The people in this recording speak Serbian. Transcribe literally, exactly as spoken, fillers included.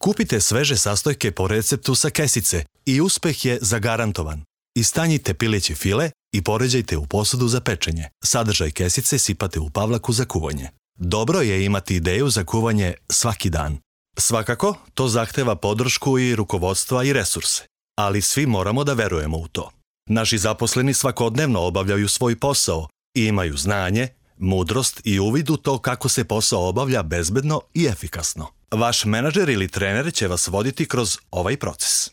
Kupite sveže sastojke po receptu sa kesice i uspeh je zagarantovan. Istanjite pileći file i poređajte u posudu za pečenje. Sadržaj kesice sipate u pavlaku za kuvanje. Dobro je imati ideju za kuvanje svaki dan. Svakako, to zahteva podršku i rukovodstva i resurse, ali svi moramo da verujemo u to. Naši zaposleni svakodnevno obavljaju svoj posao i imaju znanje, mudrost i uvid u to kako se posao obavlja bezbedno i efikasno. Vaš menadžer ili trener će vas voditi kroz ovaj proces.